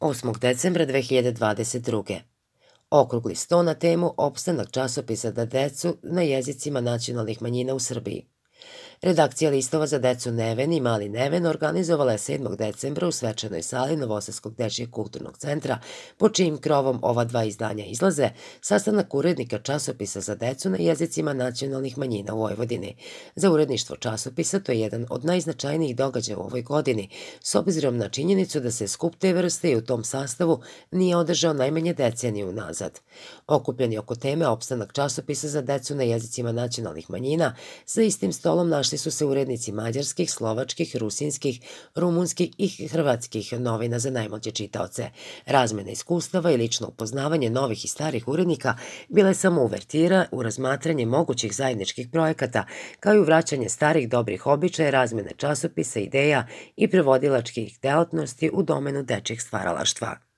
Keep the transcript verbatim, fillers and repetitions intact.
osmog decembra dve hiljade dvadeset druge. Okrugli sto na temu opstanak časopisa za decu na jezicima nacionalnih manjina u Srbiji. Redakcija listova za decu Neven i Mali Neven organizovala je sedmog decembra u svečanoj sali Novosadskog dečijeg kulturnog centra, pod čijim krovom ova dva izdanja izlaze, sastanak urednika časopisa za decu na jezicima nacionalnih manjina u Vojvodini. Za uredništvo časopisa to je jedan od najznačajnijih događaja u ovoj godini, s obzirom na činjenicu da se skup te vrste i u tom sastavu nije održao najmanje deceniju unazad. Okupljeni oko teme opstanak časopisa za decu na jezicima nacionalnih manjina, za istim stolom našli su se urednici mađarskih, slovačkih, rusinskih, rumunskih i hrvatskih novina za najmlađe čitaoce. Razmena iskustava i lično upoznavanje novih i starih urednika bila je samo uvertira u razmatranje mogućih zajedničkih projekata, kao i u vraćanje starih dobrih običaja, razmene časopisa, ideja i prevodilačkih delatnosti u domenu dečijeg stvaralaštva.